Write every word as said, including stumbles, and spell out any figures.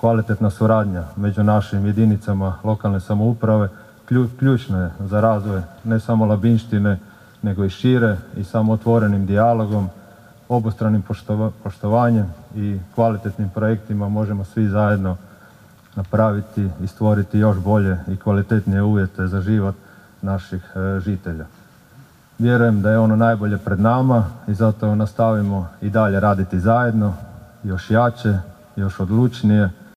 kvalitetna suradnja među našim jedinicama lokalne samouprave ključna je za razvoj ne samo Labinštine, nego i šire, i samo otvorenim dijalogom, obostranim poštovanjem i kvalitetnim projektima možemo svi zajedno napraviti i stvoriti još bolje i kvalitetnije uvjete za život naših žitelja. Vjerujem da je ono najbolje pred nama i zato nastavimo i dalje raditi zajedno, još jače, još odlučnije,